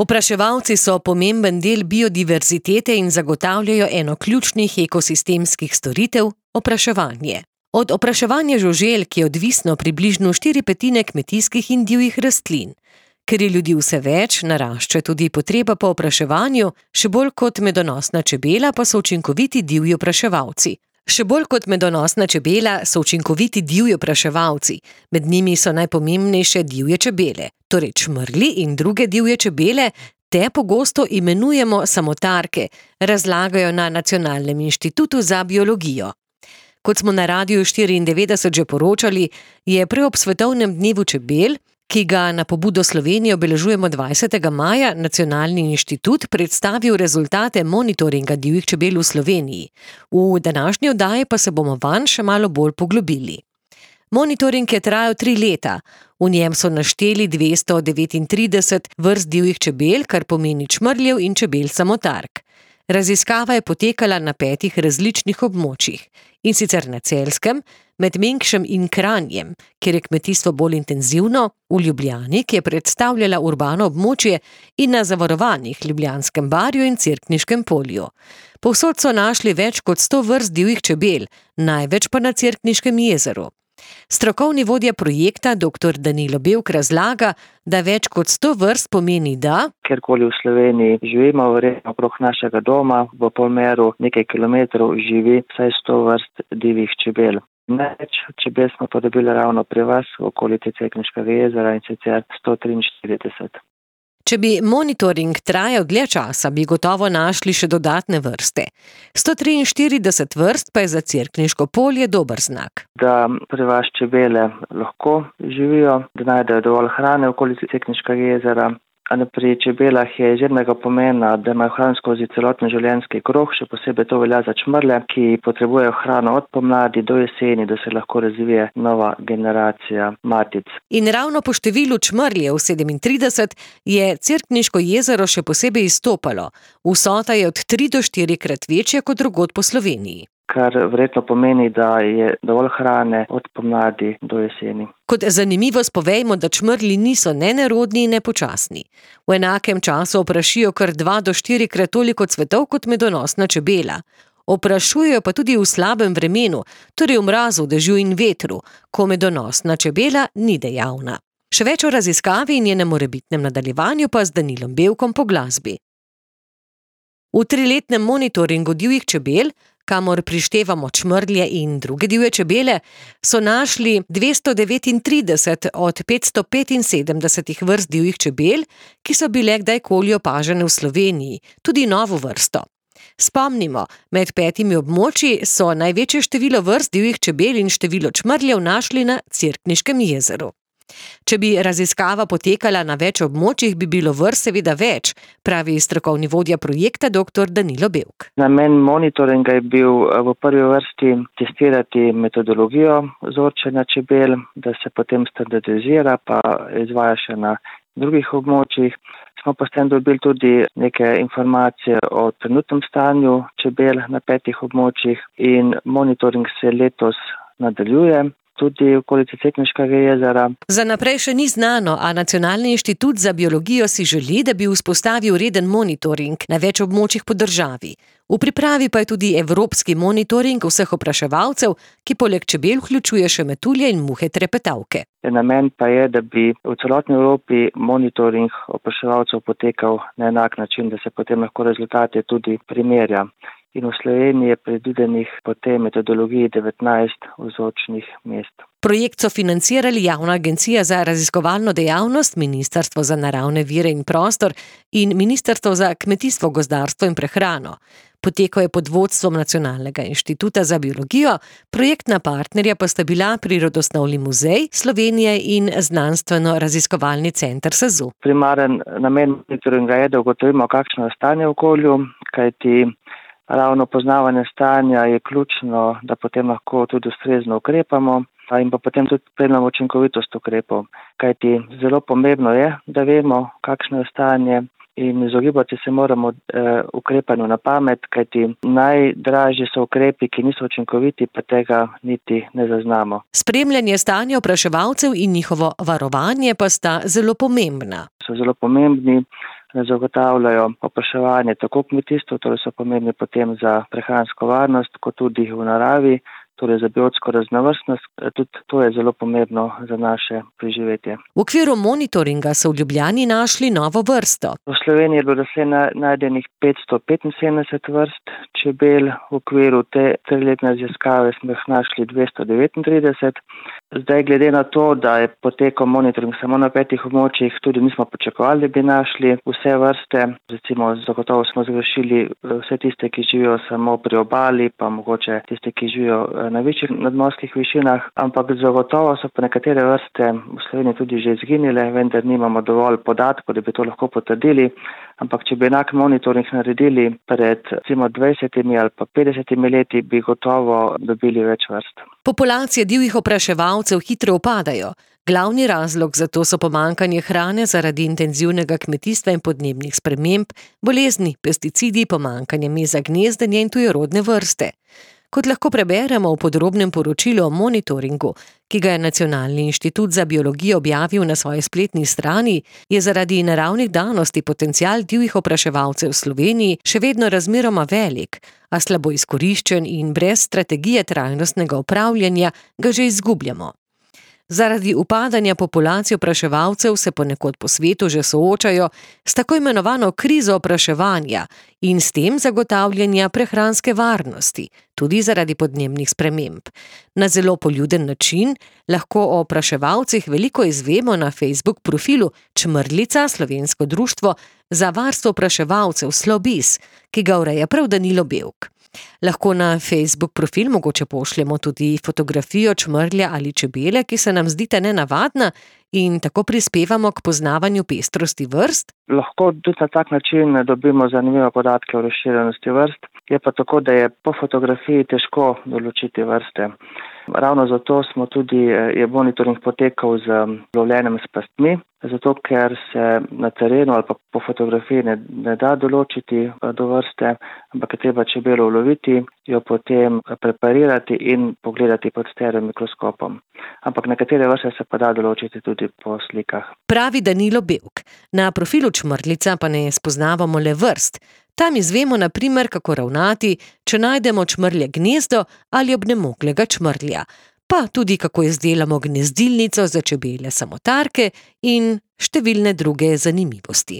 Opraševalci so pomemben del biodiverzitete in zagotavljajo eno ključnih ekosistemskih storitev – opraševanje. Od opraševanja žuželk je odvisno približno 4/5 kmetijskih in divjih rastlin. Ker je ljudi vse več, narašča tudi potreba po opraševanju, še bolj kot medonosna čebela pa so učinkoviti divji opraševalci. Med njimi so najpomembnejše divje čebele, torej čmrlji in druge divje čebele, te pogosto imenujemo samotarke, razlagajo na Nacionalnem inštitutu za biologijo. Kot smo na Radiu 94 že poročali, je ob svetovnem dnevu čebel, ki ga na pobudo Slovenije obeležujemo 20. maja, Nacionalni inštitut predstavil rezultate monitoringa divjih čebel v Sloveniji. V današnji oddaji pa se bomo vanj še malo bolj poglobili. Monitoring je trajal 3 leta. V njem so našteli 239 vrst divjih čebel, kar pomeni čmrljev in čebel samotark. Raziskava je potekala na 5 različnih območjih, in sicer na Celjskem, med Mengšem in Kranjem, kjer je kmetijstvo bolj intenzivno, v Ljubljani, ki je predstavljala urbano območje, in na zavarovanih Ljubljanskem barju in Cerkniškem polju. Povsod so našli več kot 100 vrst divjih čebel, največ pa na Cerkniškem jezeru. Strokovni vodja projekta dr. Danilo Bevk razlaga, da več kot 100 vrst pomeni, da kjerkoli v Sloveniji živimo, verjetno okrog našega doma, v polmeru nekaj kilometrov živi vsaj 100 vrst divjih čebel. Največ čebel smo pa dobili ravno pri vas v okolici Cerkniškega jezera, in sicer 143. Če bi monitoring trajal dlje časa, bi gotovo našli še dodatne vrste. 143 vrst pa je za Cerkniško polje dober znak. Da pri vas čebele lahko živijo, da najdejo dovolj hrane v okolici Cerkniškega jezera. A pri čebelah je izjemnega pomena, da imajo hrano skozi celoten življenjski krog, še posebej to velja za čmrlje, ki potrebujejo hrano od pomladi do jeseni, da se lahko razvije nova generacija matic. In ravno po številu čmrljev 37 je Cerkniško jezero še posebej izstopalo. Vsota je od 3 do 4-krat večja kot drugod po Sloveniji. Kar verjetno pomeni, da je dovolj hrane od pomladi do jeseni. Kot zanimivost povejmo, da čmrlji niso ne nerodni in ne počasni. V enakem času oprašijo kar 2 do 4-krat toliko cvetov kot medonosna čebela. Oprašujejo pa tudi v slabem vremenu, torej v mrazu, dežju in vetru, ko medonosna čebela ni dejavna. Še več o raziskavi in njenem morebitnem nadaljevanju pa z Danilom Bevkom po glasbi. V 3-letnem monitoringu divjih čebel, kamor prištevamo čmrlje in druge divje čebele, so našli 239 od 575 vrst divjih čebel, ki so bile kdajkoli opažene v Sloveniji, tudi novo vrsto. Spomnimo, med 5 območji so največje število vrst divjih čebel in število čmrljev našli na Cerkniškem jezeru. Če bi raziskava potekala na več območjih, bi bilo vrst seveda več, pravi strokovni vodja projekta dr. Danilo Bevk. Namen monitoringa je bil v prvi vrsti testirati metodologijo vzorčenja čebel, da se potem standardizira pa izvaja še na drugih območjih. Smo pa s tem dobili tudi neke informacije o trenutnem stanju čebel na 5 območjih in monitoring se letos nadaljuje. Tudi v okolici Cerkniškega jezera. Za naprej še ni znano, a Nacionalni inštitut za biologijo si želi, da bi vzpostavil reden monitoring na več območjih po državi. V pripravi pa je tudi evropski monitoring vseh opraševalcev, ki poleg čebel vključuje še metulje in muhe trepetavke. Namen pa je, da bi v celotni Evropi monitoring opraševalcev potekal na enak način, da se potem lahko rezultate tudi primerja. In v Sloveniji je predvidenih po tej metodologiji 19 vzorčnih mest. Projekt so financirali Javna agencija za raziskovalno dejavnost, Ministrstvo za naravne vire in prostor in Ministrstvo za kmetijstvo, gozdarstvo in prehrano. Potekal je pod vodstvom Nacionalnega inštituta za biologijo, projektna partnerja pa sta bila Prirodoslovni muzej Slovenije in Znanstveno-raziskovalni center SAZU. Primaren namen monitoringa je, da ugotovimo, kakšno je stanje v okolju, kajti ravno poznavanje stanja je ključno, da potem lahko tudi ustrezno ukrepamo in pa potem tudi spremljamo učinkovitost ukrepov. Kajti zelo pomembno je, da vemo, kakšno je stanje in izogibati se moramo ukrepanju na pamet, kajti najdražji so ukrepi, ki niso učinkoviti, pa tega niti ne zaznamo. Spremljanje stanja opraševalcev in njihovo varovanje pa sta zelo pomembna. So zelo pomembni, zagotavljajo opraševanje tako kmetijstva, torej so pomembni potem za prehransko varnost, kot tudi v naravi, torej za biotsko raznovrstnost, tudi to je zelo pomembno za naše preživetje. V okviru monitoringa so v Ljubljani našli novo vrsto. V Sloveniji je bilo doslej najdenih 575 vrst čebel, v okviru te triletne raziskave smo jih našli 239. Zdaj, glede na to, da je potekal monitoring samo na 5 območjih, tudi nismo pričakovali, da bi našli vse vrste. Recimo, zagotovo smo zgrešili vse tiste, ki živijo samo pri obali, pa mogoče tiste, ki živijo na večjih nadmorskih višinah, ampak zagotovo so pa nekatere vrste v Sloveniji tudi že izginile, vendar nimamo dovolj podatkov, da bi to lahko potrdili. Ampak če bi enak monitoring naredili pred recimo 20 ali pa 50 leti, bi gotovo dobili več vrst. Populacije divjih opraševalcev hitro upadajo. Glavni razlog za to so pomanjkanje hrane zaradi intenzivnega kmetijstva in podnebnih sprememb, bolezni, pesticidi, pomanjkanje mesa gnezdenja in tujerodne vrste. Kot lahko preberemo v podrobnem poročilu o monitoringu, ki ga je Nacionalni inštitut za biologijo objavil na svoji spletni strani, je zaradi naravnih danosti potencial divjih opraševalcev v Sloveniji še vedno razmeroma velik, a slabo izkoriščen in brez strategije trajnostnega upravljanja ga že izgubljamo. Zaradi upadanja populacije opraševalcev se ponekod po svetu že soočajo s tako imenovano krizo opraševanja in s tem zagotavljanja prehranske varnosti, tudi zaradi podnebnih sprememb. Na zelo poljuden način lahko o opraševalcih veliko izvemo na Facebook profilu Čmrljica, slovensko društvo za varstvo opraševalcev Slobis, ki ga ureja prav Danilo Bevk. Lahko na Facebook profil mogoče pošljemo tudi fotografijo čmrlja ali čebele, ki se nam zdita nenavadna in tako prispevamo k poznavanju pestrosti vrst. Lahko tudi na tak način dobimo zanimive podatke o razširjenosti vrst. Je pa tako, da je po fotografiji težko določiti vrste. Ravno zato je monitoring potekal z lovljenjem s pastmi, zato ker se na terenu ali pa po fotografiji ne da določiti do vrste, ampak je treba čebelo uloviti, jo potem preparirati in pogledati pod stereomikroskopom. Ampak nekatere vrste se pa da določiti tudi po slikah. Pravi Danilo Bevk. Na profilu Čmrljica pa ne spoznavamo le vrst. Tam izvemo na primer, kako ravnati, če najdemo čmrlje gnezdo ali obnemoglega čmrlja, pa tudi kako izdelamo gnezdilnico za čebele samotarke in številne druge zanimivosti.